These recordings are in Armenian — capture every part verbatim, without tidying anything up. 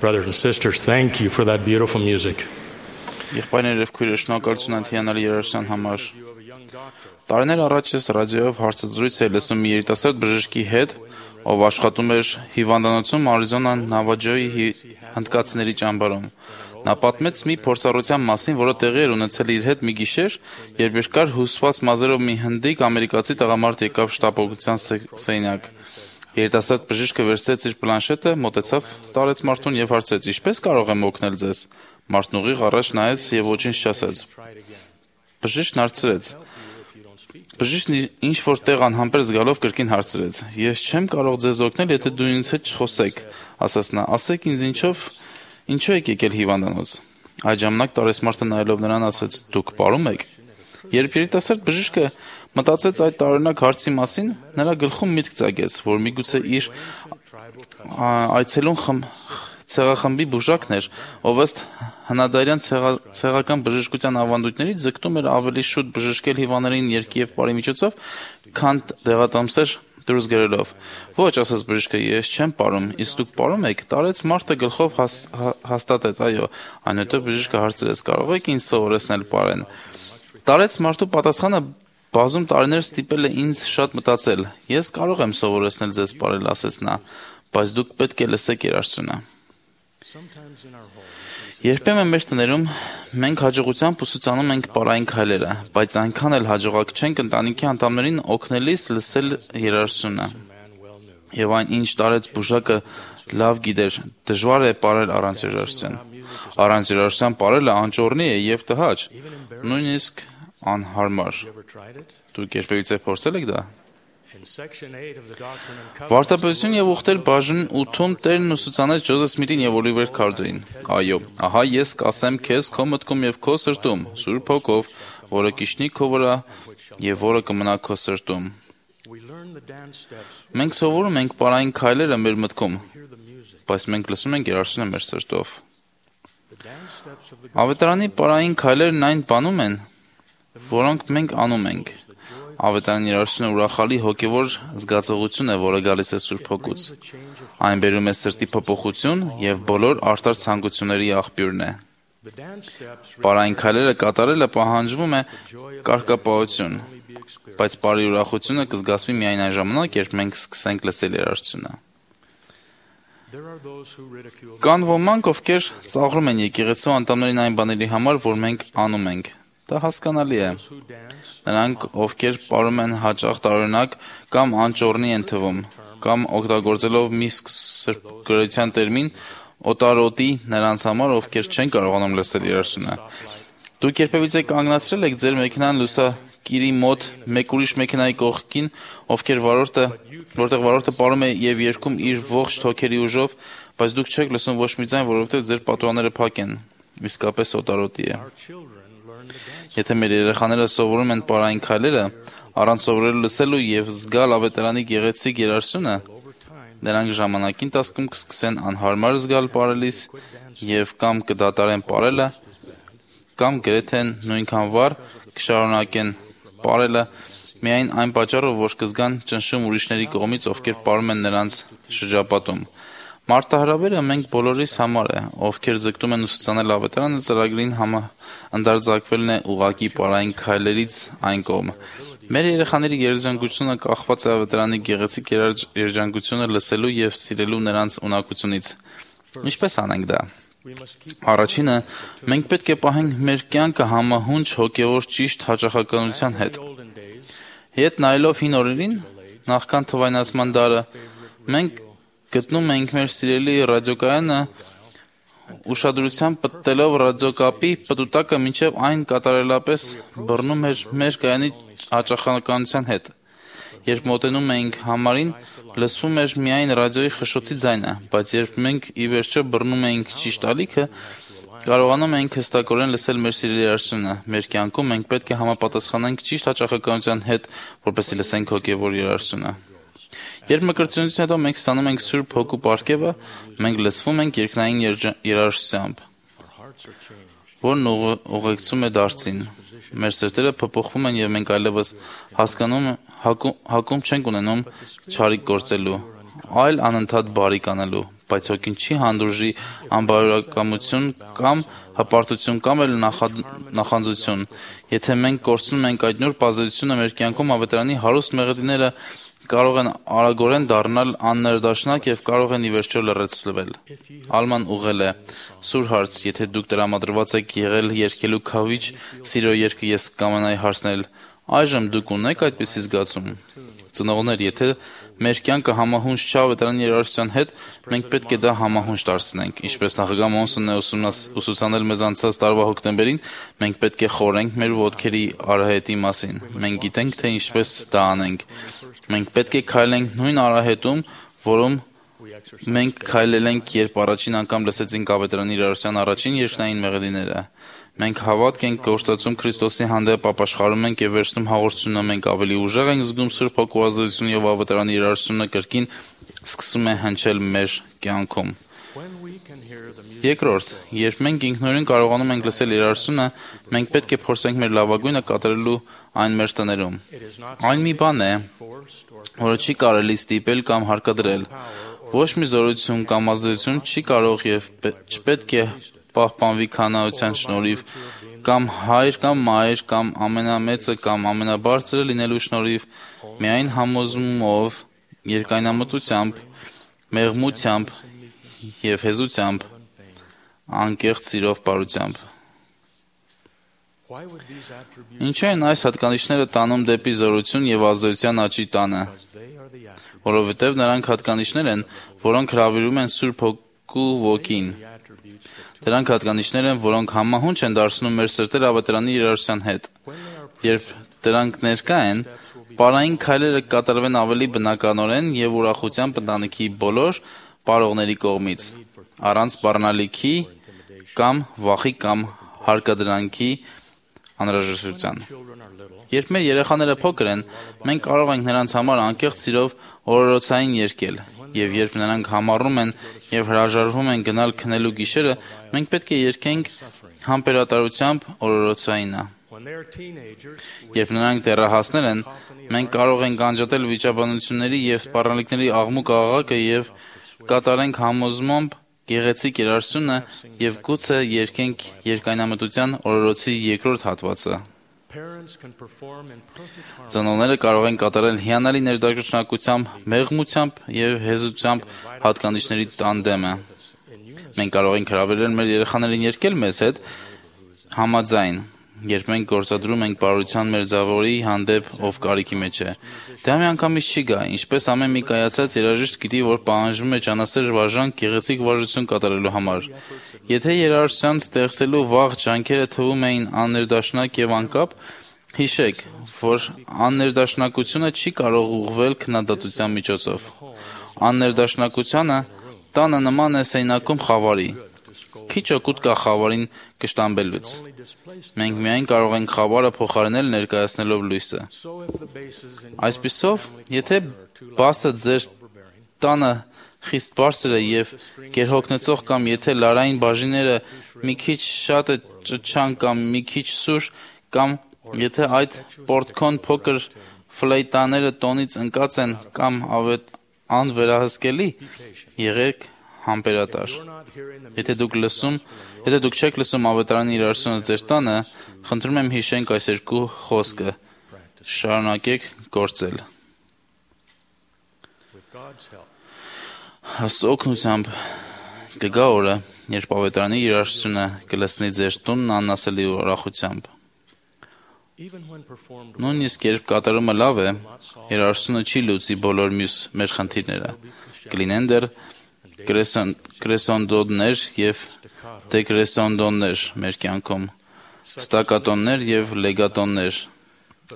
Brothers and sisters, thank you for that beautiful music. Եղբայրներ եւ քույրեր, շնորհակալություն այդ հիանալի երաժշտության համար։ Տարիներ առաջ ես ռադիոյով հարցազրույց էի լսում մի երիտասարդ բժշկի հետ, ով աշխատում էր հիվանդանոցում Արիզոնա Նավաջոյի հնդկացիների ճամբարում։ Նա պատմեց մի փորձառության մասին, որը տեղի էր ունեցել իր հետ մի գիշեր, երբ երկար հյուսված մազերով մի հնդիկ ամերիկացի տղամարդ եկավ շտապօգնության սենյակ։ Երիտասարդ բժիշկը վերցրեց իր պլանշետը, մոտեցավ տարեց մարդուն եւ հարցրեց. «Ինչպես կարող եմ օգնել ձեզ»։ Մարդն ուղիղ առաջ նայեց եւ ոչինչ չասեց։ Բժիշկն հարցրեց. Բժիշկն ինչ որ տեղ անհամբեր զգալով կրկին հարցրեց. «Ես չեմ կարող ձեզ օգնել, եթե դու ինձ հետ չխոսեք», ասաց նա։ «Ասեք ինձ ինչով, ինչու եք եկել հիվանդանոց»։ Այդ ժամանակ տարեցմարտը նայելով նրան ասաց. «Դուք պարում եք»։ Երբ երիտասարդ բժիշկը մտածեց այդ տարօրինակ հարցի մասին, նրա գլխում միտք ծագեց, որ միգուցե իր այցելուն խմ ցեղախմբի բուժակն էր, ով ըստ հնադարյան ցեղական բժշկության ավանդույթներից ձգտում էր ավելի շուտ բժշկել հիվանդներին երգի եւ պարի միջոցով, քան դեղատոմսեր դուրս գրելով։ Ոչ, ասաց բժիշկը, ես չեմ պարում, իսկ դուք պարում եք։ Տարեց մարդը գլխով հաստատեց, այո, այնուհետև բժիշկը հարցրեց. կարող եք ինձ սովորեցնել պարեն։ Տարեց մարդու պատասխանը բազում տարիներ ստիպել է ինձ շատ մտածել։ Ես կարող եմ սովորեցնել ձեզ պարել, ասեց նա, բայց դուք պետք է լսեք երաժշտությունը։ Երբեմն մեր տներում մենք հաջողությամբ ուսուցանում ենք պարային քայլերը, բայց այնքան էլ հաջողակ չենք ընտանիքի անդամներին օգնելիս լսել երաժշտությունը։ Եվ այն ինչ տարեց բուժակը լավ գիտեր, դժվար է պարել առանց երաժշտության։ Առանց երաժշտության պարելը անճոռնի է եւ տհաճ, նույնիսկ անհարմար։ Դուք երբևիցե փորձել եք դա։ Վարդապետություն եւ ուխտեր բաժին ութում Տերն ուսուցանեց Ջոզեֆ Սմիթին եւ Օլիվեր Քարդոյին։ Այո, ահա ես կասեմ քեզ քո մտքում եւ քո սրտում, Սուրբ Հոգով, որը կիջնի քո վրա եւ որը կմնա քո սրտում։ Մենք սովորում ենք պարային քայլերը մեր մտքում, բայց մենք լսում ենք երաժշտությունը մեր սրտով։ Ավետարանի պարային քայլերն այն բանում են, որոնք մենք անում ենք։ Ավետարանի երաժշտությունը ուրախալի հոգևոր զգացողություն է, որը գալիս է Սուրբ Հոգուց։ Այն բերում է սրտի փոփոխություն եւ բոլոր արդար ցանկությունների աղբյուրն է։ Պարային քայլերը կատարելը պահանջվում է կարգապահություն, բայց պարի ուրախությունը կզգացվի միայն այն ժամանակ, երբ մենք սկսենք լսել երաժշտությունը։ Կան ոմանք, ովքեր ծաղրում են եկեղեցու անդամներին այն բաների համար, որ մենք անում ենք։ Դա հասկանալի է։ Նրանք, ովքեր պարում են հաճախ տարօրինակ կամ անճոռնի են թվում, կամ օգտագործելով մի սրբգրության տերմին, օտարոտի նրանց համար, ովքեր չեն կարողանում լսել երաժշտությունը։ Դուք երբևիցե կանգնացրել եք ձեր մեքենան լուսակիրի մոտ մեկ ուրիշ մեքենայի կողքին, ովքեր վարորդը, որտեղ վարորդը պարում է եւ երգում իր ողջ թոքերի ուժով, բայց դուք չեք լսում ոչ մի ձայն, որովհետեւ ձեր պատուհանները փակ են։ Իսկապես օտարոտի է։ Եթե մեր երեխաները սովորում են պարային քայլերը, առանց սովորելու լսելու եւ զգալ ավետարանի գեղեցիկ երաժշտությունը, նրանք ժամանակի ընթացքում կսկսեն անհարմար զգալ պարելիս եւ կամ կդատարեն պարելը, կամ գրեթե նույնքան վառ կշարունակեն պարելը միայն այն պատճառով, որ կզգան ճնշում ուրիշների կողմից, ովքեր պարում են նրանց շրջապատում։ Մարտահրավերը մենք բոլորիս համար է, ովքեր ձգտում են ուսուցանել ավետարանը ծրագրին ընդարձակվելն է ուղղակի պարային քայլերից այն կողմը։ Մեր երեխաների երջանկությունը կախված է ավետարանի գեղեցիկ երջանկությունը լսելու եւ սիրելու նրանց ունակությունից։ Ինչպես անենք դա։ Առաջինը, մենք պետք է պահենք մեր կյանքը համահունչ հոգեոր ճիշտ հաճախականության հետ։ Հետ նայելով հին օրերին, նախքան թվայնացման դարը, մենք գտնում ենք մեր սիրելի ռադիոկայանը ուշադրությամբ պտտելով ռադիոկապի պտուտակը մինչև այն կատարելապես բռնում էր մեր կայանի հաճախականության հետ։ Երբ մոտենում էինք համարին, լսվում էր միայն ռադիոյի խշշոցի ձայնը, բայց երբ մենք ի վերջո բռնում էինք ճիշտ ալիքը, կարողանում էինք հստակորեն լսել մեր սիրելի երաժշտությունը։ Մեր կյանքում մենք պետք է համապատասխանենք ճիշտ հաճախականության հետ, որպեսզի լսենք հոգևոր երաժշտությունը։ Երբ մկրտությունից հետո մենք ստանում ենք Սուրբ Հոգու պարգևը, մենք լսվում ենք երկնային երաժշտությամբ, որն ուղեկցում է դարձին։ Մեր սրտերը փոփոխվում են եւ մենք այլևս հասկանում հակում չենք ունենում չարիք գործելու, այլ անընդհատ բարիք անելու, բայց հոգին չի հանդուրժի անբարոյականություն կամ հպարտություն կամ էլ նախանձություն։ Եթե մենք կորցնում ենք այդ նուրբ ազդեցությունը մեր կյանքում, ավետարանի հարուստ մեղեդիները կարող են արագորեն դառնալ աններդաշնակ եւ կարող են ի վերջո լրացվել։ Ալման ուղղել է. Սուր հարց, եթե դուք տրամադրված եք եղել երգելու քավիչ սիրո երգը ես կամենայի հարցնել, այժմ դուք ունեք այդպիսի զգացում։ Ծնողներ, եթե մեր կյանքը համահունչ չէ ավետարանի երաժշտության հետ, մենք պետք է դա համահունչ դարձնենք։ Ինչպես նախագահ Մոնսոնն է ուսուցանել մեզ անցած տարվա հոկտեմբերին, մենք պետք է խորենք մեր ոտքերի արահետի մասին։ Մենք գիտենք, թե ինչպես դա անենք։ Մենք պետք է քայլենք նույն արահետում, որում մենք քայլել ենք, երբ առաջին անգամ լսեցինք ավետարանի երաժշտության առաջին երկնային մեղեդիները։ Մենք հավատք ենք գործածում Քրիստոսի հանդեպ ապաշխարում ենք եւ վերցնում հաղորդությունը, մենք ավելի ուժեղ ենք զգում Սուրբ Հոգու ազդեցությունը եւ ավետարանի երաժշտությունը կրկին սկսում է հնչել մեր կյանքում։ Երկրորդ, երբ մենք ինքնուրույն կարողանում ենք լսել երաժշտությունը, մենք պետք է փորձենք մեր լավագույնը կատարելու այն մեր տներում։ Այն մի բան է, որը չի կարելի ստիպել կամ հարկադրել։ Ոչ մի զորություն կամ ազդեցություն չի կարող եւ չպետք է պահպանվի քանայության շնորհիվ, կամ հայր կամ մայր, կամ ամենամեծը կամ ամենաբարձրը լինելու շնորհիվ, միայն համոզմումով, երկայնամտությամբ, մեղմությամբ եւ հեզությամբ, անկեղծ սիրով բարությամբ։ Ինչու են այս հատկանիշները տանում դեպի զորություն եւ ազդեցության աճի տանը, որովհետեւ նրանք հատկանիշներ են, որոնք հրավիրում են Սուրբ Հոգու ոգին։ Դրանք հատկանիշներ են, որոնք համահունչ են դարձնում մեր սրտերը ավետարանի երաժշտության հետ։ Երբ դրանք ներկա են, պարային քայլերը կատարվեն ավելի բնականորեն եւ ուրախությամբ ընտանիքի բոլոր պարողների կողմից, առանց սպառնալիքի կամ վախի կամ հարկադրանքի անհրաժեշտության։ Երբ մեր երեխաները փոքր են, մենք կարող ենք նրանց համար անկեղծ սիրով օրորոցային երգել, եւ երբ նրանք համառում են եւ հրաժարվում են գնալ քնելու գիշերը, մենք պետք է երգենք համբերատարությամբ օրորոցայինը։ Երբ նրանք դեռահասներ են, մենք կարող ենք անջատել վիճաբանությունների եւ սպառնալիքների աղմուկ աղաղակը եւ կատարենք համոզմամբ գեղեցիկ երաժշտությունը եւ գուցե երգենք երկայնամտության օրորոցի երկրորդ հատվածը։ Ծնողները կարող են կատարել հիանալի ներդաշնակությամբ, մեղմությամբ եւ հեզությամբ հատկանիշների տանդեմը։ Մենք կարող ենք հրավիրել մեր երեխաներին երգել մեզ հետ համաձայն, երբ մենք գործադրում ենք բարության մեր զավորի հանդեպ, ով կարիքի մեջ է։ Դա միանգամից չի գա, ինչպես ամեն մի կայացած երաժիշտ գիտի, որ պահանջվում է ճանասեր վարժանք գեղեցիկ վարժություն կատարելու համար։ Եթե երաժշտության ստեղծելու վաղ ջանքերը թվում էին աններդաշնակ եւ անկապ, հիշեք, որ աններդաշնակությունը չի կարող ուղղվել քննադատության միջոցով։ Աններդաշնակությունը տանը նման է սեյնակում խավարի։ Քիչ օգուտ կա խավարին կշտամբելուց։ Մենք միայն կարող ենք խավարը փոխարինել ներկայացնելով լույսը։ Այսպիսով, եթե բասը ձեր տանը խիստ բարձր է եւ գերհոգնեցող կամ եթե լարային բաժինները մի քիչ շատ է ճչան կամ մի քիչ սուր կամ եթե այդ պորտքոն փոքր ֆլեյտաները տոնից ընկած են կամ անվերահսկելի, եղեք համբերատար։ Եթե դուք լսում, եթե դուք չեք լսում ավետարանի երաժշտությունը ձեր տանը, խնդրում եմ հիշենք այս երկու խոսքը։ Շարունակեք գործել։ Աստծո օգնությամբ կգա օրը, երբ ավետարանի երաժշտությունը կլսնի ձեր տունն անասելի ուրախությամբ։ Նույնիսկ երբ կատարումը լավ է, երաժշտությունը չի լուծի բոլոր մյուս մեր խնդիրները։ Կլինեն դեռ կրեսոնդոներ եւ դեկրեսոնդոններ մեր կյանքում, ստակատոններ եւ լեգատոններ։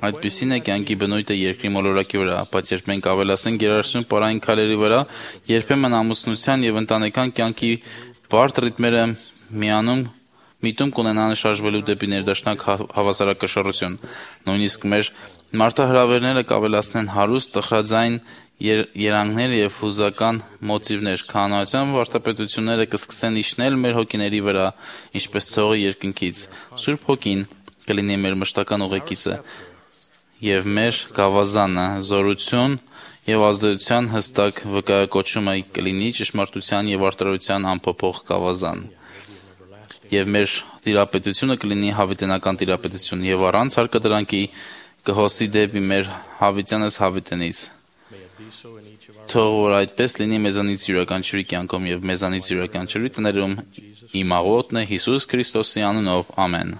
Այդպիսին է կյանքի բնույթը երկրի մոլորակի վրա, բայց երբ մենք ավելացնենք երաժշտություն պարային քայլերի վրա, երբեմն ամուսնության եւ ընտանեկան կյանքի բարդ ռիթմերը միանում միտում կունենան շարժվելու դեպի ներդաշնակ հավասարակշռություն։ Նույնիսկ մեր մարտահրավերները կավելացնեն հարուստ տխրաձայն երանգներ եւ հուզական մոտիվներ, քահանայության վարդապետությունները կսկսեն իջնել մեր հոգիների վրա, ինչպես ցողը երկնքից։ Սուրբ Հոգին կլինի մեր մշտական ուղեկիցը եւ մեր գավազանը, զորություն եւ ազդեցության հստակ վկայակոչումը կլինի ճշմարտության եւ արդարության անփոփոխ գավազան։ Եվ մեր տիրապետությունը կլինի հավիտենական տիրապետություն եւ առանց հարկադրանքի կհոսի դեպի մեր հավիտյանս հավիտենից։ Թող որ այդպես լինի մեզանից յուրաքանչյուրի կյանքում եւ մեզանից յուրաքանչյուրի տներում իմ աղոթն է Հիսուս Քրիստոսի անունով, ամեն։